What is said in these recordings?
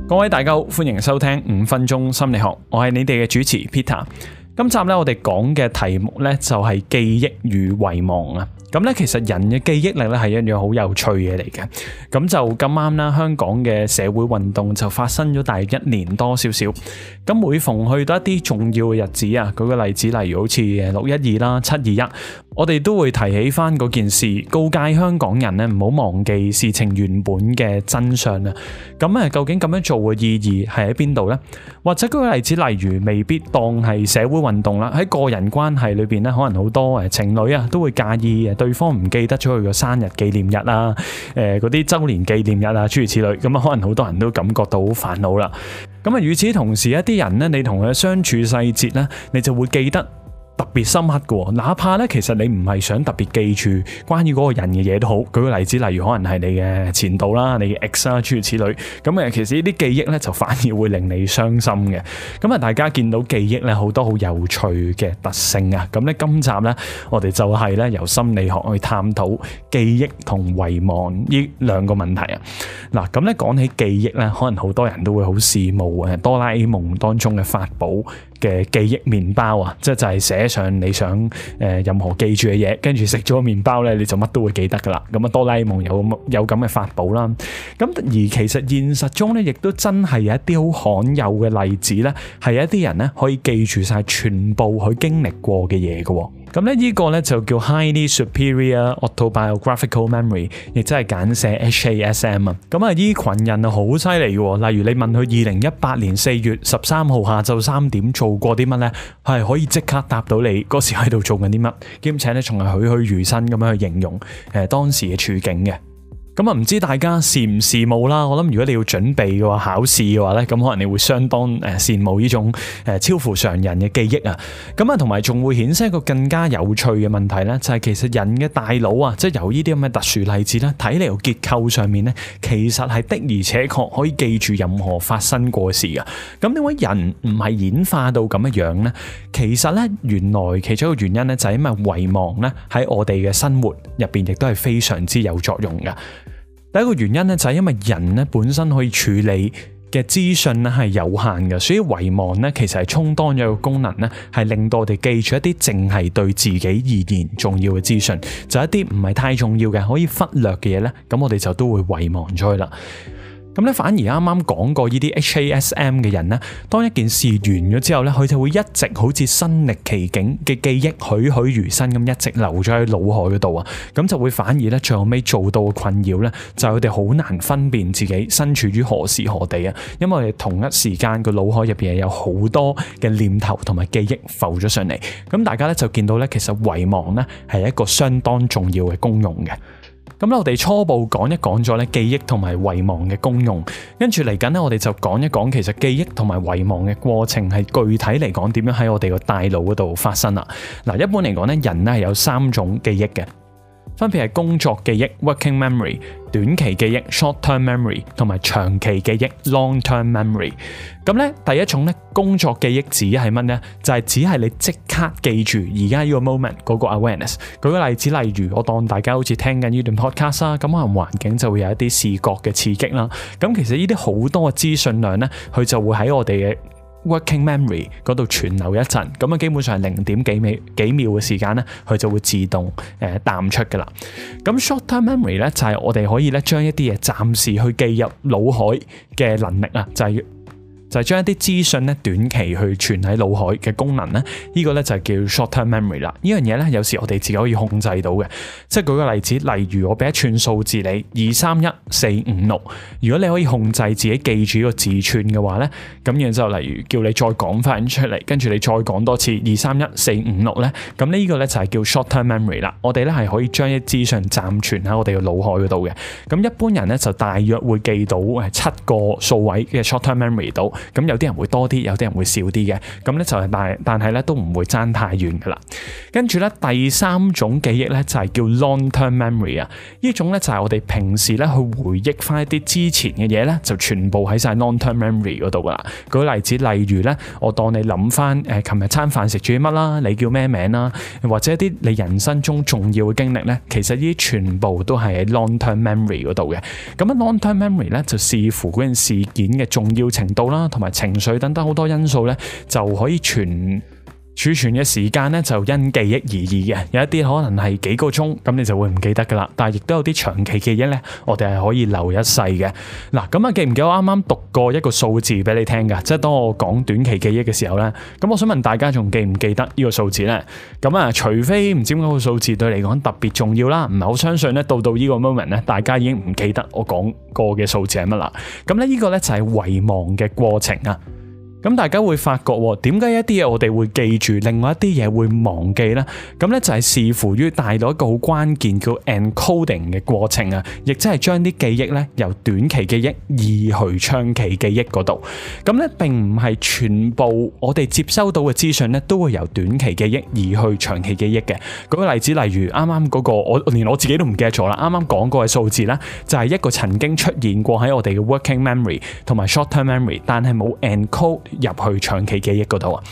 各位大家好，歡迎收聽5分鐘心理學，我係你哋嘅主持 Peter。今集咧我哋講嘅題目咧就係記憶與遺忘啊。咁咧其實人嘅記憶力咧係一樣好有趣嘅嚟嘅。咁就咁啱啦，香港嘅社會運動就發生咗大約1年多少少。咁每逢去到一啲重要嘅日子啊，舉個例子，例如好似612啦、721，我哋都會提起翻嗰件事，告誡香港人咧唔好忘記事情原本嘅真相啊。咁究竟咁樣做嘅意義係喺邊度呢？或者舉個例子，例如未必當係社會運動啦，喺個人關係裏邊咧，可能好多情侶啊都會介意對方唔記得咗佢個生日紀念日啊，嗰啲周年紀念日啊，諸如此類，咁可能好多人都感覺到好煩惱啦。咁與此同時，一啲人咧，你同佢嘅相處細節咧，你就會記得特別深刻嘅，哪怕咧其實你唔係想特別記住關於嗰個人嘅嘢都好。舉個例子，例如可能係你嘅前度啦、你嘅 ex 啦，諸如此類。咁其實呢啲記憶咧就反而會令你傷心嘅。咁大家見到記憶咧好多好有趣嘅特性啊。咁咧今集咧我哋就係咧由心理學去探討記憶同遺忘呢兩個問題啊。嗱，咁咧講起記憶咧，可能好多人都會好羨慕哆啦 A 夢當中嘅法寶嘅記憶麵包啊，就係寫上你想任何記住嘅嘢，跟住食咗個麵包咧，你就乜都會記得噶啦。咁哆啦 A 夢有咁嘅法寶啦。咁而其實現實中咧，亦都真係有一啲好罕有嘅例子咧，係一啲人咧可以記住晒全部佢經歷過嘅嘢嘅。咁咧呢個咧就叫 Highly Superior Autobiographical Memory， 亦即係簡寫 HASM 啊。咁呢群人啊好犀利嘅，例如你問佢2018年4月13號下晝3點做過啲乜咧，係可以即刻答到你嗰時喺度做緊啲乜，兼且咧仲係栩栩如生咁樣去形容當時嘅處境嘅。咁唔知大家羨唔羨慕啦？我諗如果你要準備嘅話，考試嘅話咧，咁可能你會相當羨慕呢種超乎常人嘅記憶啊。咁同埋仲會衍生一個更加有趣嘅問題咧，就係其實人嘅大腦啊，即係由呢啲咁嘅特殊例子咧，睇嚟個結構上面咧，其實係的而且確可以記住任何發生過嘅事噶。咁點解人唔係演化到咁嘅樣咧？其實咧，原來其中一個原因咧，就係因為遺忘咧喺我哋嘅生活入邊亦都係非常之有作用噶。第一個原因咧就係因為人咧本身可以處理嘅資訊咧係有限嘅，所以遺忘咧其實係充當咗一個功能咧，係令到我哋記住一啲淨係對自己而言重要嘅資訊，就一啲唔係太重要嘅可以忽略嘅嘢咧，咁我哋就都會遺忘咗佢啦。咁咧，反而啱啱講過呢啲 HASM 嘅人咧，當一件事完咗之後咧，佢就會一直好似身歷其境嘅記憶，栩栩如生咁一直留咗喺腦海嗰度啊。咁就會反而咧，最後尾做到嘅困擾咧，就係佢哋好難分辨自己身處於何時何地啊。因為我哋同一時間個腦海入邊有好多嘅念頭同埋記憶浮咗上嚟。咁大家咧就見到咧，其實遺忘咧係一個相當重要嘅功用嘅。咁我哋初步講一講咗咧記憶同埋遺忘嘅功用，跟住嚟緊咧我哋就講一講其實記憶同埋遺忘嘅過程係具體嚟講點樣喺我哋個大腦嗰度發生啦。嗱，一般嚟講咧，人咧係有3種記憶嘅，分別係工作記憶 working memory、短期記憶 short-term memory 同埋長期記憶 long-term memory。咁咧第一種咧工作記憶指係乜呢？就係指係你即刻記住而家呢個 moment 嗰個 awareness。舉個例子，例如我當大家好似聽緊呢段 podcast 啦，咁可能環境就會有一啲視覺嘅刺激啦。咁其實呢啲好多嘅資訊量咧，佢就會喺我哋嘅working memory 嗰度存留一陣，咁基本上係0.幾秒嘅時間咧，佢就會自動淡出噶啦。咁 short-term memory 咧就係我哋可以咧將一啲嘢暫時去記入腦海嘅能力啊，就係將一啲資訊咧短期去存喺腦海嘅功能咧，呢個咧就係叫 short-term memory 啦。呢樣嘢咧有時我哋自己可以控制到嘅，即係舉個例子，例如我俾一串數字你231-456，如果你可以控制自己記住呢個字串嘅話咧，咁然之後例如叫你再講翻出嚟，跟住你再講多次231-456咧，咁呢個咧就係叫 short-term memory 啦。我哋咧係可以將啲資訊暫存喺我哋嘅腦海嗰度嘅。咁一般人咧就大約會記到7個數位嘅 short-term memory 度。咁有啲人會多啲，有啲人會少啲嘅。咁咧就係但係咧都唔會爭太遠噶啦。跟住咧第三種記憶咧就係叫 long-term memory 啊。呢種咧就係我哋平時咧去回憶翻一啲之前嘅嘢咧，就全部喺晒 long-term memory 嗰度噶啦。舉個例子，例如咧，我當你諗翻琴日餐飯食住啲乜啦，你叫咩名啦，或者一啲你人生中重要嘅經歷咧，其實呢啲全部都係喺 long-term memory 嗰度嘅。咁啊 long-term memory 咧就視乎嗰件事件嘅重要程度啦，同埋情緒等等好多因素咧，就可以儲存嘅時間咧就因記憶而異嘅，有一啲可能係幾個鐘，咁你就會唔記得噶啦。但係亦都有啲長期記憶咧，我哋係可以留一世嘅。嗱，咁啊記唔記得我啱啱讀過一個數字俾你聽噶？即係當我講短期記憶嘅時候咧，咁我想問大家仲記唔記得呢個數字咧？咁啊，除非唔知點解個數字對你嚟講特別重要啦，唔係好相信咧，到呢個 moment 咧，大家已經唔記得我講過嘅數字係乜啦。咁咧呢個咧就係遺忘嘅過程啊。咁大家會發覺點解一啲嘢我哋會記住，另外一啲嘢會忘記呢？咁咧就係視乎於帶到一個好關鍵叫 encoding 嘅過程啊，亦即係將啲記憶咧由短期記憶移去長期記憶嗰度。咁咧並唔係全部我哋接收到嘅資訊咧都會由短期記憶移去長期記憶嘅。舉個例子，例如啱啱嗰個我連我自己都唔記得咗啦，啱啱講過嘅數字咧就係一個曾經出現過喺我哋嘅 working memory 同埋 short-term memory， 但係冇 encode入去長期記憶嗰度啊。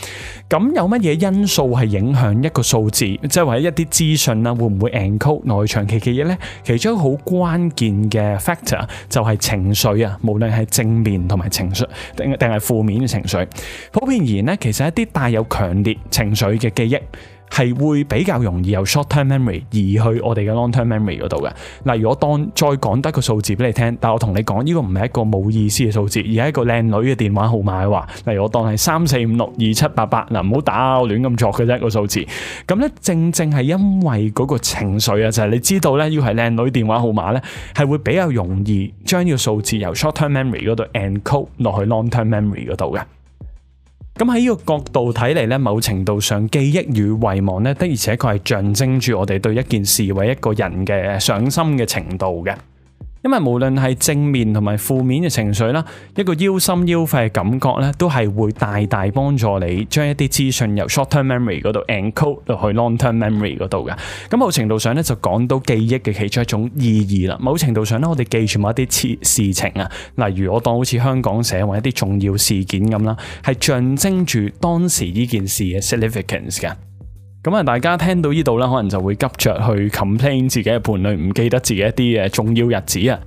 咁有乜嘢因素係影響一個數字，即係或者一啲資訊啦，會唔會 encode 落去長期記憶呢？其中一個好關鍵嘅 factor 就係情緒啊，無論係正面同埋情緒定係負面嘅情緒。普遍而言呢，其實一啲帶有強烈情緒嘅記憶係會比較容易由 short-term memory 移去我哋嘅 long-term memory 嗰度嘅。例如我當再講得個數字俾你聽，但我同你講呢個唔係一個冇意思嘅數字，而係一個靚女嘅電話號碼嘅話，例如我當係34562788，嗱唔好打我亂咁作嘅啫個數字。咁咧正係因為嗰個情緒啊，就係你知道咧要係靚女電話號碼咧，係會比較容易將呢個數字由 short-term memory 嗰度 encode 落去 long-term memory 嗰度嘅。咁喺呢個角度睇嚟咧，某程度上記憶與遺忘咧，的而且確係象徵住我哋對一件事或一個人嘅上心嘅程度嘅。因為無論係正面同埋負面嘅情緒啦，一個腰心腰肺嘅感覺咧，都係會大大幫助你將一啲資訊由 short-term memory 嗰度 encode 落去 long-term memory 嗰度嘅。咁某程度上咧，就講到記憶嘅其中一種意義啦。某程度上咧，我哋記住某一啲事情啊，例如我當好似香港社或一啲重要事件咁啦，係象徵住當時呢件事嘅 significance 嘅。咁啊，大家聽到呢度咧，可能就會急着去 complain 自己嘅伴侶唔記得自己一啲重要日子啊，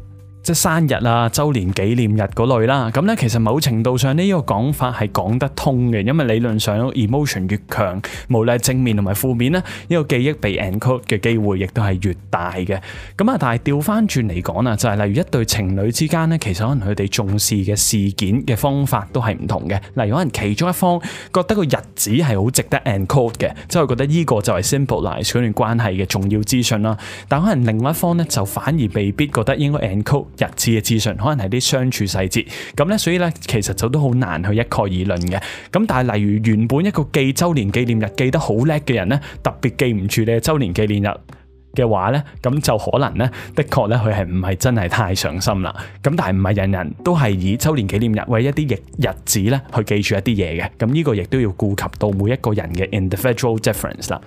即係生日啊、周年紀念日嗰類啦。咁咧，其實某程度上呢個講法係講得通嘅，因為理論上 emotion 越強，無論係正面同埋負面咧，呢個記憶被 encode 嘅機會亦都係越大嘅。咁啊，但係調翻轉嚟講啊，就係例如一對情侶之間咧，其實可能佢哋重視嘅事件嘅方法都係唔同嘅。例如可能其中一方覺得個日子係好值得 encode 嘅，即係覺得呢個就係 symbolize 嗰段關係嘅重要資訊啦。但可能另外一方咧就反而未必覺得應該 encode日子嘅資訊，可能係啲相處細節咁咧，所以咧其實就都好難去一概而論嘅。咁但係例如原本一個記周年紀念日記得好叻嘅人咧，特別記唔住你嘅周年紀念日嘅話咧，咁就可能咧的確咧佢係唔係真係太上心啦。咁但係唔係人人都係以周年紀念日為一啲日子咧去記住一啲嘢嘅。咁呢個亦都要顧及到每一個人嘅 individual difference 啦。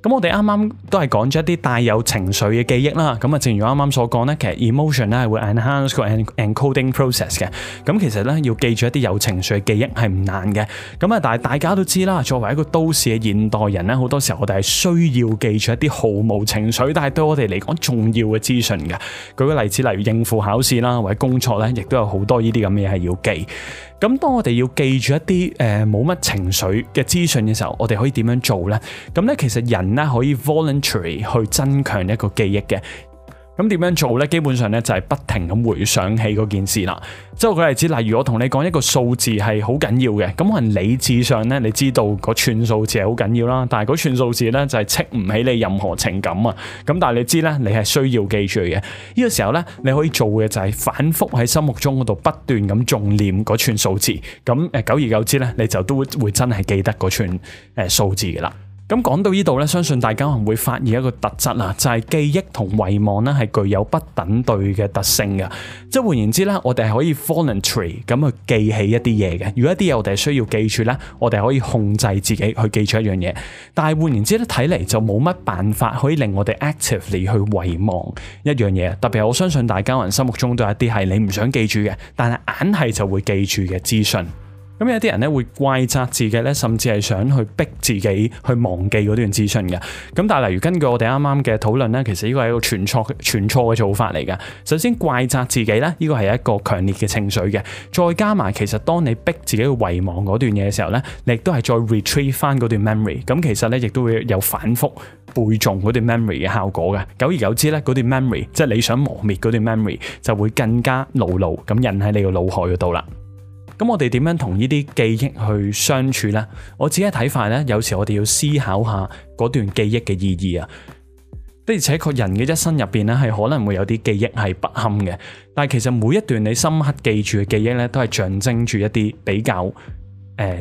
咁我哋啱啱都係講咗一啲帶有情緒嘅記憶啦。咁啊，正如啱啱所講咧，其實 emotion 咧係會 enhance 個 encoding process 嘅。咁其實咧要記住一啲有情緒嘅記憶係唔難嘅。咁啊，但係大家都知啦，作為一個都市嘅現代人咧，好多時候我哋係需要記住一啲毫無情緒，但係對我哋嚟講重要嘅資訊嘅。舉個例子，例如應付考試啦，或者工作咧，亦都有好多呢啲咁嘅嘢係要記。咁當我哋要記住一啲冇乜情緒嘅資訊嘅時候，我哋可以點樣做呢？咁咧其實人咧可以 voluntary 去增強一個記憶嘅。咁點樣做呢？基本上咧就係不停咁回想起嗰件事啦。即係舉例子，例如我同你講一個數字係好緊要嘅，咁可能理智上咧你知道嗰串數字係好緊要啦，但係嗰串數字咧就係戚唔起你任何情感啊。咁但係你知咧，你係需要記住嘅。呢個時候咧，你可以做嘅就係反覆喺心目中嗰度不斷咁誦念嗰串數字。咁久而久之咧，你就都會真係記得嗰串數字嘅啦。咁講到呢度咧，相信大家可能會發現一個特質啊，就係記憶同遺忘咧係具有不等對嘅特性嘅。即係換言之咧，我哋係可以 voluntary 咁去記起一啲嘢嘅。如果一啲嘢我哋係需要記住咧，我哋可以控制自己去記住一樣嘢。但係換言之咧，睇嚟就冇乜辦法可以令我哋 actively 去遺忘一樣嘢。特別係我相信大家可能心目中都有一啲係你唔想記住嘅，但係硬係就會記住嘅資訊。咁有啲人咧會怪責自己咧，甚至係想去逼自己去忘記嗰段資訊嘅。咁但係例如根據我哋啱啱嘅討論咧，其實呢個係一個全錯嘅做法嚟嘅。首先怪責自己咧，呢個係一個強烈嘅情緒嘅。再加埋其實當你逼自己去遺忘嗰段嘢嘅時候咧，你亦都係再 retrieve 翻嗰段 memory。咁其實咧亦都會有反覆背誦嗰段 memory 嘅效果嘅。久而久之咧，嗰段 memory 即係你想磨滅嗰段 memory 就會更加牢牢咁印喺你個腦海嗰度啦。咁我哋點樣同呢啲記憶去相處呢？我自己嘅睇法呢，有時我哋要思考下嗰段記憶嘅意義啊。的而且確人嘅一生入邊呢，係可能會有啲記憶係不堪嘅，但係其實每一段你深刻記住嘅記憶呢，都係象徵住一啲比較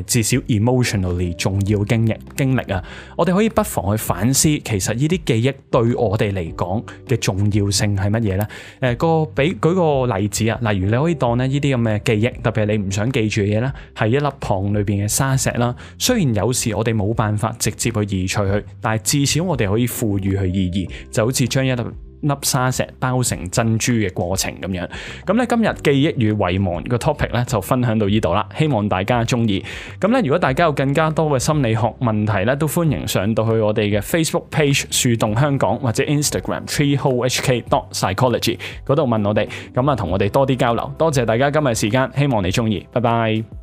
至少 emotionally 重要經歷啊。我哋可以不妨去反思，其實呢啲記憶對我哋嚟講嘅重要性係乜嘢呢？舉個例子啊，例如你可以當呢啲咁嘅記憶，特別係你唔想記住嘅嘢呢，係一粒糖裏邊嘅沙石啦。雖然有時我哋冇辦法直接去移除佢，但係至少我哋可以賦予佢意義，就好似將一粒沙石包成珍珠嘅過程咁樣。咁咧今日記憶與遺忘個 topic 咧就分享到呢度啦，希望大家中意。咁咧如果大家有更加多嘅心理學問題咧，都歡迎上到去我哋嘅 Facebook page 樹洞香港或者 Instagram treeholehk.psychology 嗰度問我哋，咁啊同我哋多啲交流。多謝大家今日時間，希望你中意，拜拜。